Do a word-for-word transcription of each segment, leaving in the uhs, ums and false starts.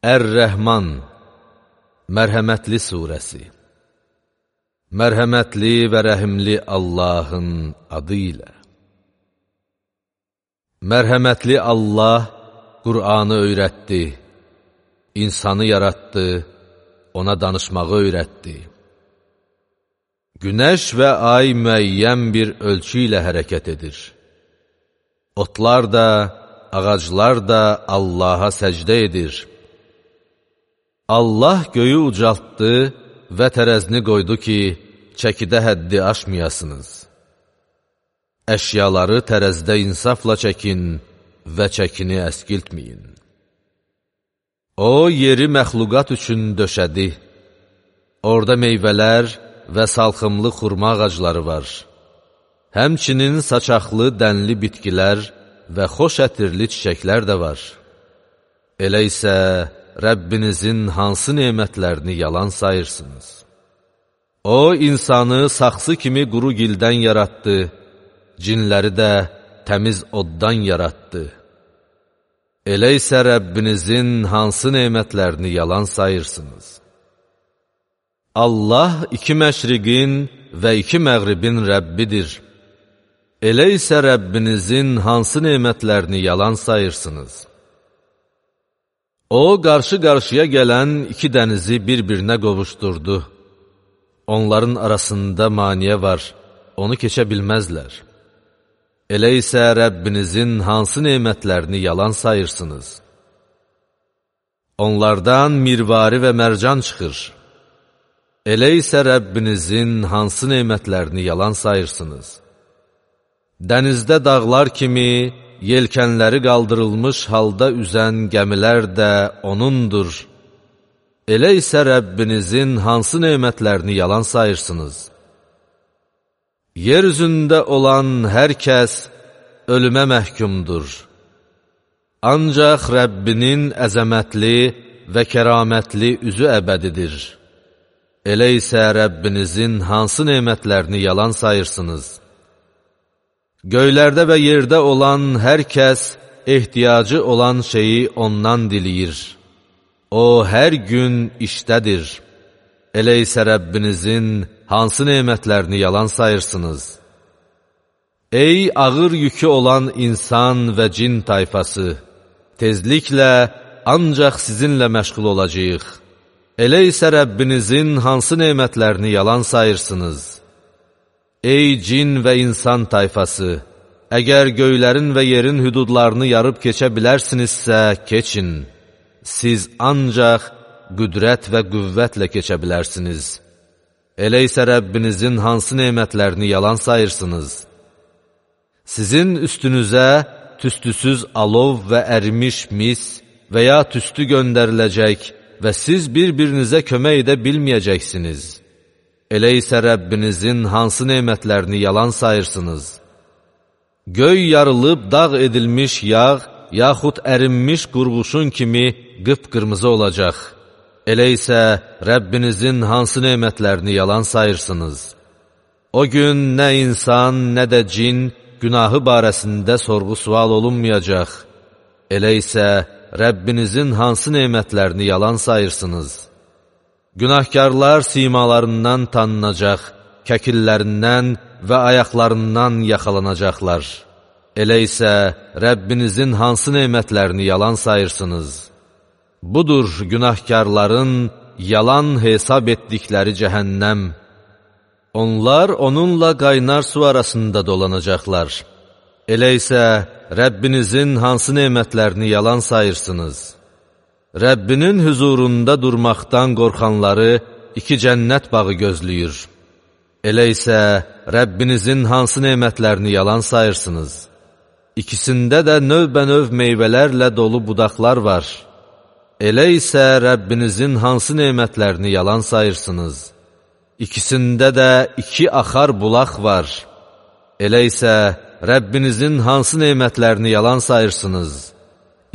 Ər-Rəhman, Mərhəmətli surəsi. Mərhəmətli və rəhimli Allahın adı ilə. Mərhəmətli Allah Qur'anı öyrətdi, insanı yaratdı, ona danışmağı öyrətdi. Günəş və ay müəyyən bir ölçü ilə hərəkət edir. Otlar da, ağaclar da Allaha səcdə edir. Allah göyü ucaltdı və tərəzini qoydu ki, çəkidə həddi aşmayasınız. Əşyaları tərəzdə insafla çəkin və çəkini əskiltməyin. O, yeri məxluqat üçün döşədi. Orada meyvələr və salxımlı xurma ağacları var. Həmçinin saçaqlı, dənli bitkilər və xoş ətirli çiçəklər də var. Elə isə Rəbbinizin hansı nemətlərini yalan sayırsınız? O, insanı saxsı kimi quru gildən yaratdı, cinləri də təmiz oddan yaratdı. Elə isə Rəbbinizin hansı nemətlərini yalan sayırsınız? Allah iki məşriqin və iki məğribin Rəbbidir. Elə isə Rəbbinizin hansı nemətlərini yalan sayırsınız? O, qarşı-qarşıya gələn iki dənizi bir-birinə qovuşdurdu. Onların arasında maniyə var, onu keçə bilməzlər. Elə isə Rəbbinizin hansı nemətlərini yalan sayırsınız? Onlardan mirvari və mərcan çıxır. Elə isə Rəbbinizin hansı nemətlərini yalan sayırsınız? Dənizdə dağlar kimi, yelkənləri qaldırılmış halda üzən gəmilər də O'nundur. Elə isə Rəbbinizin hansı nemətlərini yalan sayırsınız? Yer üzündə olan hər kəs ölümə məhkumdur. Ancaq Rəbbinin əzəmətli və kəramətli üzü əbədidir. Elə isə Rəbbinizin hansı nemətlərini yalan sayırsınız? Göylərdə və yerdə olan hər kəs ehtiyacı olan şeyi ondan diləyir. O, hər gün işdədir. Elə isə Rəbbinizin hansı nemətlərini yalan sayırsınız? Ey ağır yükü olan insan və cin tayfası! Tezliklə ancaq sizinlə məşğul olacağıq. Elə isə Rəbbinizin hansı nemətlərini yalan sayırsınız? Ey cin və insan tayfası! Əgər göylərin və yerin hüdudlarını yarıb keçə bilərsinizsə, keçin. Siz ancaq qüdrət və qüvvətlə keçə bilərsiniz. Elə isə Rəbbinizin hansı nemətlərini yalan sayırsınız? Sizin üstünüzə tüstüsüz alov və ərimiş mis və ya tüstü göndəriləcək və siz bir-birinizə kömək edə bilməyəcəksiniz. Elə isə Rəbbinizin hansı nemətlərini yalan sayırsınız? Göy yarılıb dağ edilmiş yağ, yaxud ərinmiş qurğuşun kimi qıpqırmızı olacaq. Elə isə Rəbbinizin hansı nemətlərini yalan sayırsınız? O gün nə insan, nə də cin günahı barəsində sorğu-sual olunmayacaq. Elə isə Rəbbinizin hansı nemətlərini yalan sayırsınız? Günahkarlar simalarından tanınacaq, kəkillərindən və ayaqlarından yaxalanacaqlar. Elə isə Rəbbinizin hansı nemətlərini yalan sayırsınız? Budur günahkarların yalan hesab etdikləri cəhənnəm. Onlar onunla qaynar su arasında dolanacaqlar. Elə isə Rəbbinizin hansı nemətlərini yalan sayırsınız? Rəbbinin hüzurunda durmaqdan qorxanları iki cənnət bağı gözləyir. Elə isə Rəbbinizin hansı nemətlərini yalan sayırsınız? İkisində də növbənöv meyvələrlə dolu budaqlar var. Elə isə Rəbbinizin hansı nemətlərini yalan sayırsınız? İkisində də iki axar bulaq var. Elə isə Rəbbinizin hansı nemətlərini yalan sayırsınız?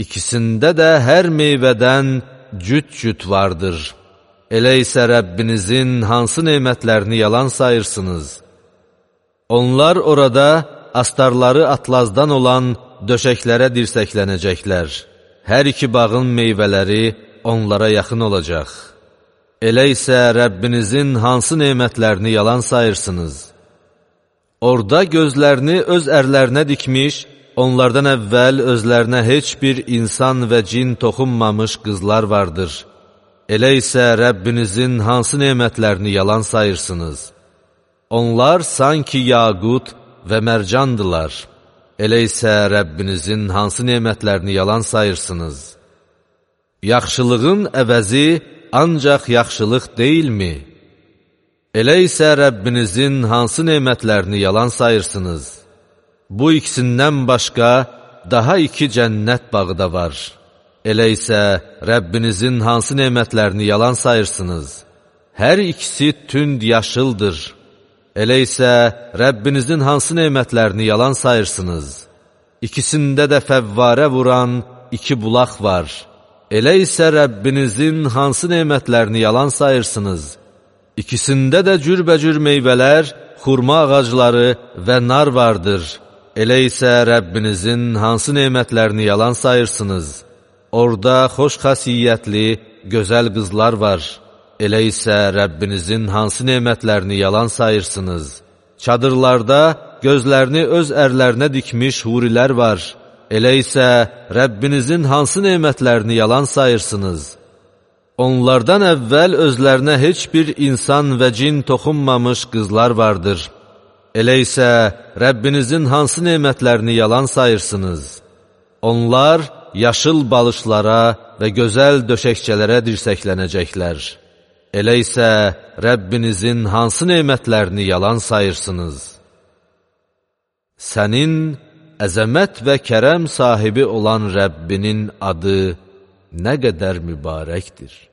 İkisində də hər meyvədən cüt-cüt vardır. Elə isə Rəbbinizin hansı nemətlərini yalan sayırsınız? Onlar orada astarları atlazdan olan döşəklərə dirsəklənəcəklər. Hər iki bağın meyvələri onlara yaxın olacaq. Elə isə Rəbbinizin hansı nemətlərini yalan sayırsınız? Orada gözlərini öz ərlərinə dikmiş, onlardan əvvəl özlərinə heç bir insan və cin toxunmamış qızlar vardır. Elə isə Rəbbinizin hansı nemətlərini yalan sayırsınız? Onlar sanki yaqut və mərcandılar. Elə isə Rəbbinizin hansı nemətlərini yalan sayırsınız? Yaxşılığın əvəzi ancaq yaxşılıq deyilmi? Elə isə Rəbbinizin hansı nemətlərini yalan sayırsınız? Bu ikisindən başqa daha iki cənnət bağı da var. Elə isə Rəbbinizin hansı nemətlərini yalan sayırsınız? Hər ikisi tünd yaşıldır. Elə isə Rəbbinizin hansı nemətlərini yalan sayırsınız? İkisində də fəvvarə vuran iki bulaq var. Elə isə Rəbbinizin hansı nemətlərini yalan sayırsınız? İkisində də cürbəcür meyvələr, xurma ağacları və nar vardır. Elə isə Rəbbinizin hansı nemətlərini yalan sayırsınız? Orada xoş xasiyyətli, gözəl qızlar var. Elə isə Rəbbinizin hansı nemətlərini yalan sayırsınız? Çadırlarda gözlərini öz ərlərinə dikmiş hurilər var. Elə isə Rəbbinizin hansı nemətlərini yalan sayırsınız? Onlardan əvvəl özlərinə heç bir insan və cin toxunmamış qızlar vardır. Elə isə Rəbbinizin hansı nemətlərini yalan sayırsınız? Onlar yaşıl balışlara və gözəl döşəkçələrə dirsəklənəcəklər. Elə isə Rəbbinizin hansı nemətlərini yalan sayırsınız? Sənin əzəmət və kərəm sahibi olan Rəbbinin adı nə qədər mübarəkdir.